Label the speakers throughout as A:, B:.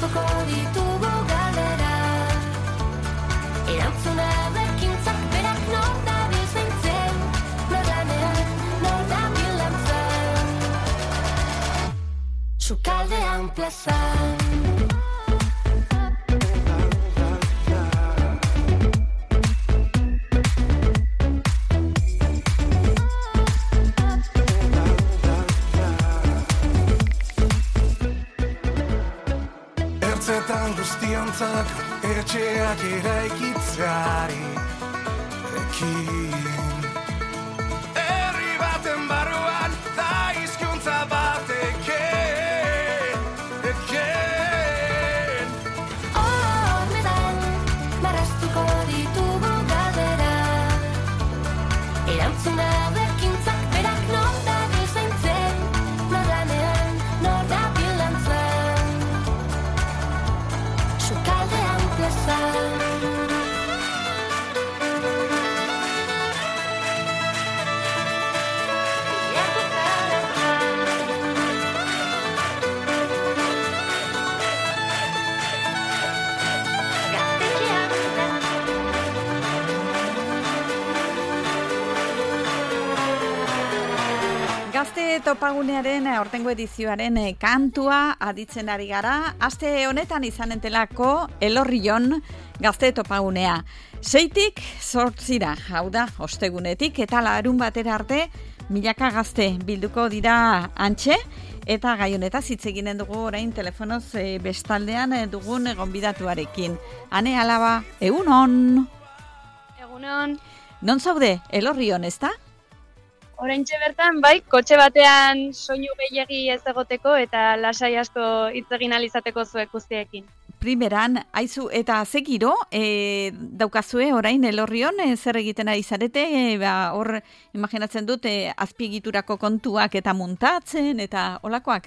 A: marraztuko ditugu galdera. Erantzuna bekintzak berak nor dabil zaintzen, nor lanean, nor dabil lantzen. Sukaldean plazan.
B: Ertzetan guztiontzak etxeak eraikitzeari ekin. Herri baten barruan da hizkuntza bat eken.
A: Horretan marraztuko ditugu galdera. Erantzuna bekintzak berak nor dabil zaintzen, nor lanean, nor dabil lantzen. Sukaldean plazan.
C: Gazte topagunearen aurtengo edizioaren kantua aditzen ari gara. Aste honetan izanen telako Elorrion gazte topagunea. 6tik 8 hau da, ostegunetik eta larun batera arte milaka gazte bilduko dira antxe. Eta gai honetaz hitz eginen dugu orain telefonoz bestaldean dugun gonbidatuarekin. Ane Alaba, egunon.
D: Egunon.
C: Non zaude, Elorrion, ezta?
D: Oraintxe bertan, bai, kotxe batean soinu gehiegi ez egoteko eta lasai asko hitz egin ahal izateko zuek guztiekin.
C: Primeran, aizu, eta ze giro, daukazue orain Elorrion, zer egiten ari zarete, hor, imaginatzen dut, azpiegiturako kontuak eta muntatzen, eta olakoak?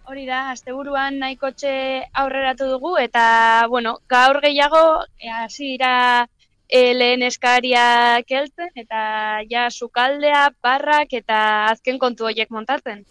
D: Hori da, asteburuan nahi kotxe aurreratu dugu, eta, bueno, gaur gehiago, hasi dira lehen eskariak heltzen, eta ja sukaldea, barrak, eta azken kontu horiek montatzen.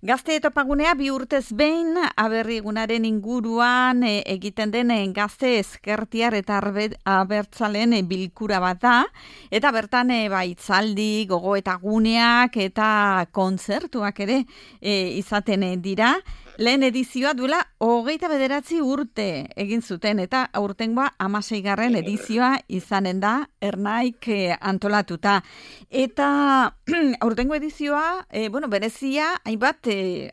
C: Gazte topagunea 2 urtez behin aberrigunaren inguruan egiten den gazte ezkertiar eta abertzalen bilkura bat da, eta bertan hitzaldi, gogoetaguneak eta kontzertuak ere izaten dira. Lehen edizioa duela 29 urte egin zuten eta aurtengoa 16. edizioa izanen da Ernaik antolatuta. Eta aurtengo edizioa, berezia hainbat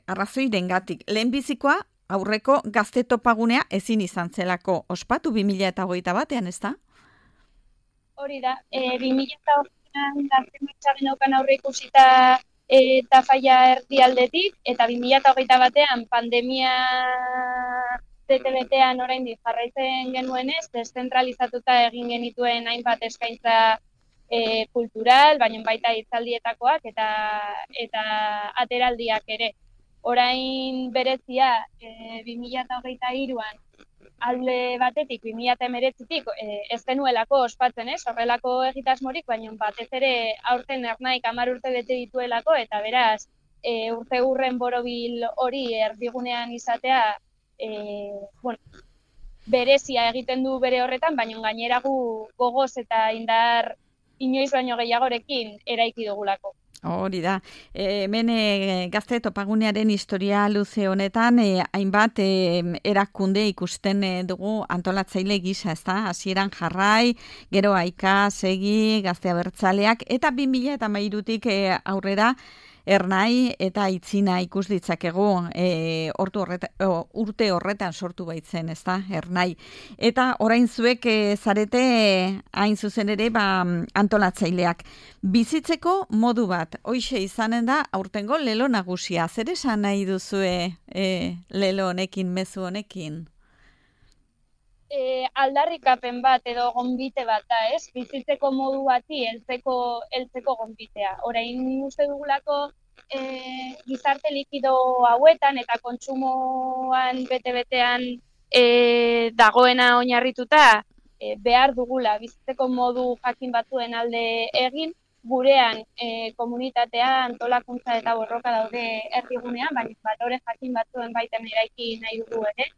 C: arrazoirengatik. Lehenbizikoa aurreko gazte topagunea ezin izan zelako ospatu 2021ean, ezta?
D: Hori da, 2021ean gazte mitxagin daukan aurre ikusita eta faia erdialdetik, eta 2021ean pandemia bete-betean oraindik jarraitzen genuenez, deszentralizatuta egin genituen hainbat eskaintza kultural, baina baita hitzaldietakoak eta ateraldiak ere. Orain berezia 2023an alde batetik 2019tik ez genuelako ospatzen, horrelako egitasmorik, baina batez ere aurten Ernaik 10 urte bete dituelako, eta beraz urte hurren borobil hori erdigunean izatea berezia egiten du bere horretan, baina gainera gu gogoz eta indar inoiz baino gehiagorekin eraiki dugulako.
C: Hori da. Hemen gazte topagunearen historia luze honetan hainbat erakunde ikusten dugu antolatzaile gisa, ezta? Hasieran Jarrai, gero Aika, Segi, Gazte Abertzaleak eta 2013tik aurrera Ernai eta Itzina ikus ditzakegu urte horretan sortu baitzen, ezta? Ernai. Eta orain zuek zarete hain zuzen ere antolatzaileak. Bizitzeko modu bat, hoixe izanen da aurtengo lelo nagusia. Zer esan nahi duzue lelo honekin, mezu honekin?
D: Aldarrikapen bat edo gonbite bat da, ez? Bizitzeko modu bati heltzeko gonbitea. Orain uste dugulako gizarte likido hauetan eta kontsumoan bete-betean dagoena oinarrituta behar dugula bizitzeko modu jakin batzuen alde egin, gurean komunitatea, antolakuntza eta borroka daude erdigunean, baina balore jakin batzuen baiten eraiki nahi dugu ere.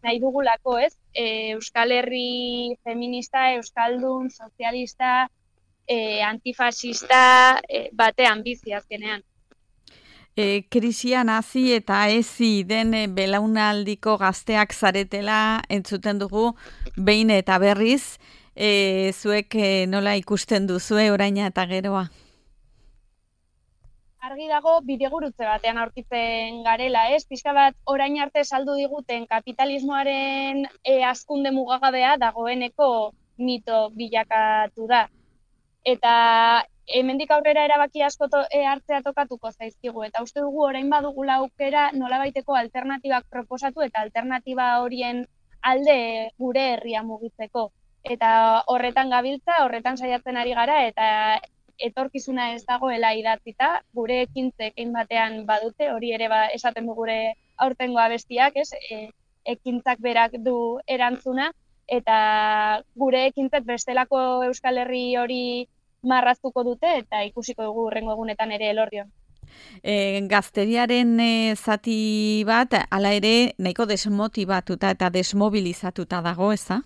D: Nahi dugulako, ez? Euskal Herri feminista, euskaldun, sozialista, antifasista batean bizi azkenean.
C: Krisian hasi eta ezi den belaunaldiko gazteak zaretela entzuten dugu behin eta berriz, zuek nola ikusten duzue oraina eta geroa?
D: Argi dago bidegurutze batean aurkitzen garela, ez? Pixka bat orain arte saldu diguten kapitalismoaren hazkunde mugagabea dagoeneko mito bilakatu da. Eta hemendik aurrera erabaki asko hartzea tokatuko zaizkigu, eta uste dugu orain badugula aukera nolabaiteko alternatibak proposatu eta alternatiba horien alde gure herria mugitzeko. Eta horretan gabiltza, horretan saiatzen ari gara, eta etorkizuna ez dagoela idatzita, gure ekintzek batean badute, hori ere esaten du gure aurtengo abestiak, ez? Ekintzak berak du erantzuna, eta gure ekintzek bestelako Euskal Herri hori marraztuko dute, eta ikusiko dugu hurrengo egunetan ere Elorrion.
C: Gazteriaren zati bat, hala ere, nahiko desmotibatuta eta desmobilizatuta dago, eza?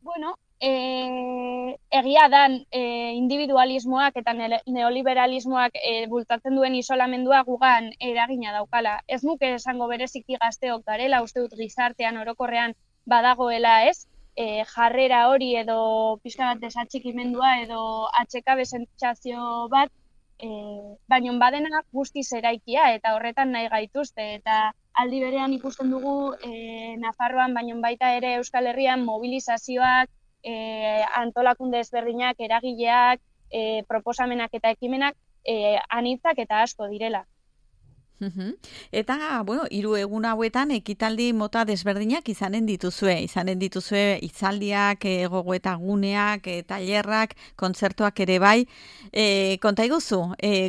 D: Bueno, egia dan individualismoak eta neoliberalismoak bultzatzen duen isolamendua gugan eragina daukala. Ez nuke esango bereziki gazteok garela, uste dut gizartean orokorrean badagoela, ez? Jarrera hori edo pixka bat desatxikimendua edo atsekabe sentsazio bat, baina badena guztiz eraikia eta horretan nahi gaituzte. Eta aldi berean ikusten dugu Nafarroan, baina baita ere Euskal Herrian mobilizazioak, antolakunde ezberdinak, eragileak, proposamenak eta ekimenak anitzak eta asko direla.
C: Eta, bueno, 3 egun hauetan ekitaldi mota desberdinak izanen dituzue hitzaldiak, gogoeta guneak, tailerrak, kontzertuak ere bai. Konta iguzu,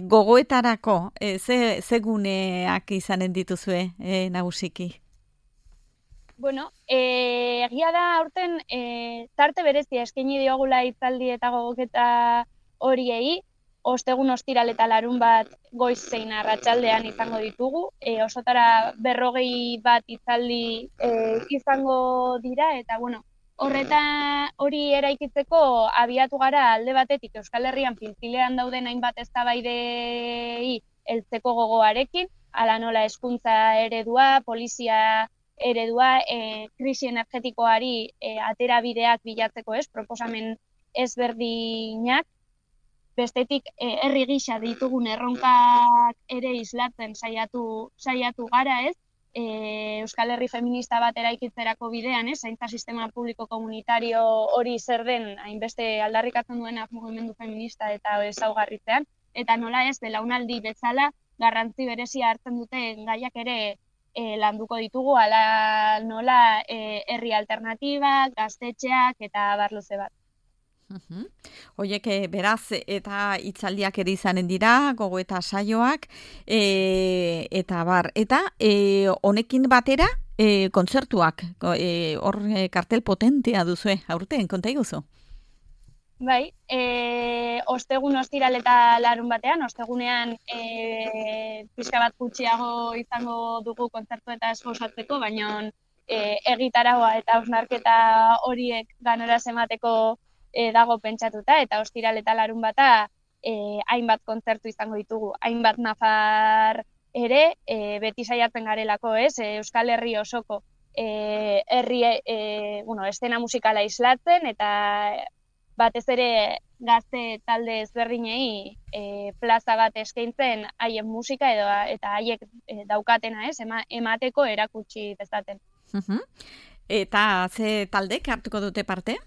C: gogoetarako, ze guneak izanen dituzue nagusiki?
D: Bueno, egia da aurten tarte berezia eskaini diogula hitzaldi eta gogoketa horiei, ostegun ostiral eta larun bat goiz zein arratsaldean izango ditugu, osotara 40 bat hitzaldi izango dira, eta bueno, hori eraikitzeko abiatu gara alde batetik Euskal Herrian pilpilean dauden hainbat eztabaidei heltzeko gogoarekin, hala nola hezkuntza eredua, polizia eredua, krisi energetikoari aterabideak bilatzeko, ez, proposamen ezberdinak, bestetik herri gisa ditugun erronkak ere islatzen saiatu gara, ez? Euskal Herri feminista bat eraikitzerako bidean, ez? Zaintza sistema publiko komunitario hori zer den hainbeste aldarrikatzen duena mugimendu feminista eta ezaugarritzean, eta nola ez belaunaldi bezala garrantzi berezia hartzen duten gaiak ere landuko ditugu, ala nola herri alternatibak, gaztetxeak eta barluze bat.
C: Hoiek beraz eta hitzaldiak ere izanen dira, gogoeta saioak, eta bar, eta honekin batera kontzertuak, hor kartel potentea duzue, aurten, konta iguzu?
D: Bai, ostegun ostiral eta larun batean, ostegunean pixka bat gutxiago izango dugu kontzertu eta esposatzeko, baina egitaragoa eta hausnarketa horiek ganora emateko dago pentsatuta, eta ostiral eta larun bata hainbat kontzertu izango ditugu, hainbat nafar ere, beti saiatzen garelako, ez, Euskal Herri osoko estena musikala islatzen, eta batez ere gazte talde ezberdinei plaza bat eskaintzen haien musika eta haiek daukatena, ez, emateko erakutsi dezaten.
C: Eta ze taldek hartuko dute parte?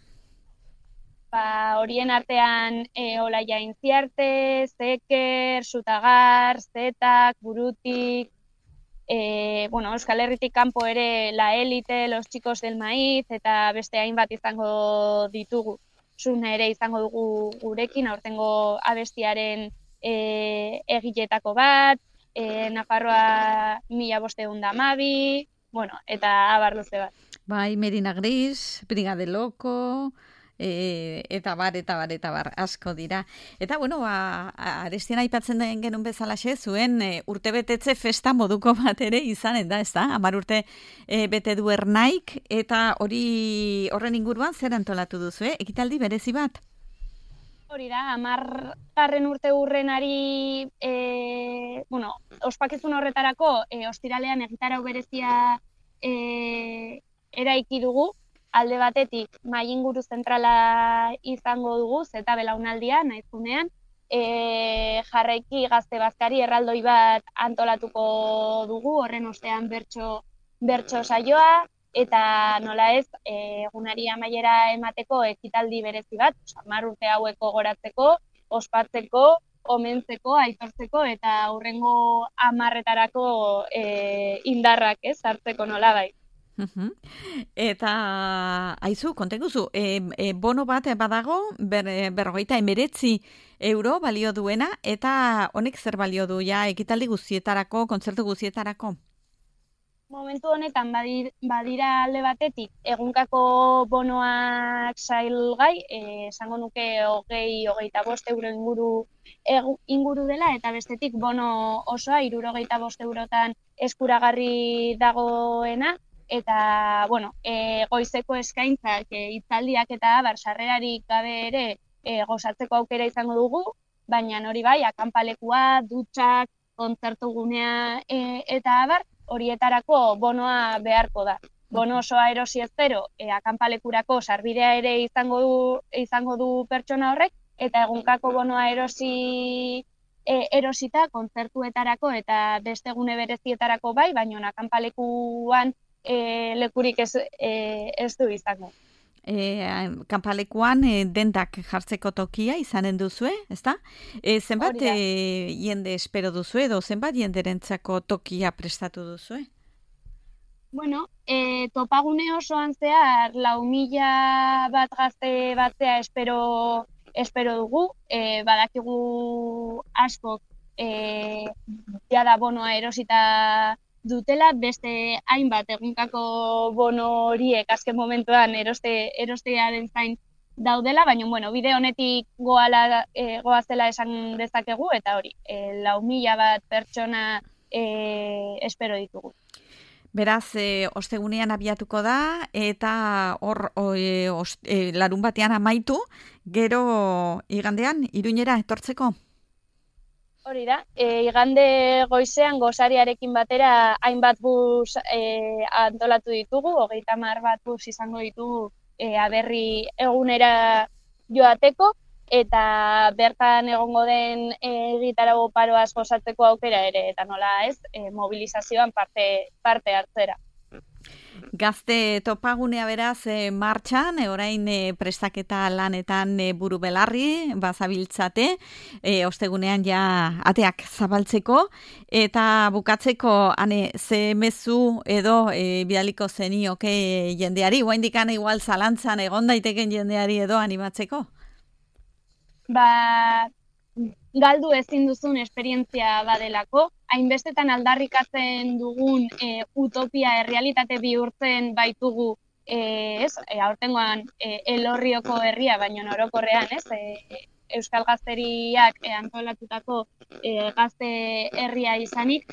D: Horien artean Olaia Intziarte, Zeker, Sutagar, Zetak, Burutik, Euskal Herritik kanpo ere La Elite, Los Chicos del Maíz, eta beste hainbat izango ditugu. Zune ere izango dugu gurekin, aurtengo abestiaren egiletako bat, Nafarroa 1512, eta abar luze bat.
C: Bai, Medina Gris, Brigade Loko, eta bar, asko dira. Eta, bueno, Arestian aipatzen den genuen bezalaxe, zuen urtebetetze festa moduko bat ere izanen da, ez da? 10 urte bete du Ernaik, eta horren inguruan zer antolatu duzu, ekitaldi berezi bat?
D: Hori da, 10. urte hurrenari, ospakizun horretarako, ostiralean egitarau berezia eraiki dugu, alde batetik mahai inguru zentrala izango dugu, zeta belaunaldia, nahizunean, jarraiki gazte bazkari erraldoi bat antolatuko dugu, horren ostean bertso saioa, eta nola ez, egunari amaiera emateko ekitaldi berezi bat, 10 urte haueko goratzeko, ospatzeko, omentzeko, aitortzeko, eta hurrengo 10etarako indarrak hartzeko nola bai.
C: Eta, aizu, konteguzu, bono bat badago, 59 euro balio duena, eta honek zer balio du, ekitaldi guztietarako, kontzertu guztietarako?
D: Momentu honetan badira alde batetik egunkako bonoak salgai, esango nuke 20-25 euro inguru dela, eta bestetik bono osoa 65 eurotan eskuragarri dagoena, eta, goizeko eskaintzak, hitzaldiak eta sarrerarik gabe ere gozatzeko aukera izango dugu, baina hori bai, akanpalekua, dutxak, kontzertu gunea eta abar, horietarako bonoa beharko da. Bono osoa erosi ezkero, akanpalekurako sarbidea ere izango du pertsona horrek, eta egunkako bonoa erosita kontzertuetarako eta beste gune berezietarako bai, baina akanpalekuan lekurik ez du izango.
C: Kanpalekuan dendak jartzeko tokia izanen duzue, ezta? Zenbat jende espero duzue edo zenbat jenderentzako tokia prestatu duzue?
D: Topagune osoan zehar 4.000 bat gazte batzea espero dugu, badakigu askok jada bonoa erosita dutela, beste hainbat egunkako bono horiek azken momentuan erostearen zain daudela, baina bide honetik goazela esan dezakegu, eta hori, 4.000 bat pertsona espero ditugu.
C: Beraz, ostegunean abiatuko da, eta hor larun batean amaitu, gero igandean, Iruñera etortzeko?
D: Hori da, igande goizean gosariarekin batera hainbat bus antolatu ditugu, 30 bat bus izango ditugu aberri egunera joateko, eta bertan egongo den egitarau paroaz gozatzeko aukera ere, eta nola ez, mobilizazioan parte hartzera.
C: Gazte topagunea beraz martxan, orain prestaketa lanetan buru belarri, bazabiltzate, ostegunean ateak zabaltzeko, eta bukatzeko ze mezu edo bidaliko zenioke jendeari, oaindikan igual zalantzan egon daiteken jendeari edo animatzeko?
D: Galdu ezin duzun esperientzia badelako, hainbestetan aldarrikatzen dugun utopia errealitate bihurtzen baitugu, aurtengoan Elorrioko herria, baino orokorrean, Euskal Gazteriak antolatutako gazte herria izanik,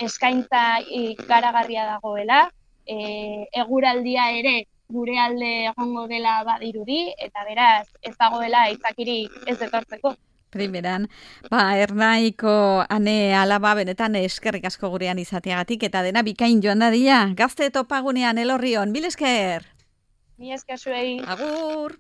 D: eskaintza ikaragarria dagoela, eguraldia ere gure alde egongo dela badirudi, eta beraz ez dagoela aitzakirik ez etortzeko.
C: Primeran, Ernaiko alaba benetan eskerrik asko gurean izateagatik, eta dena bikain joan dadila. Gazte topagunean Elorrion, mil esker!
D: Mil esker zuei!
C: Agur!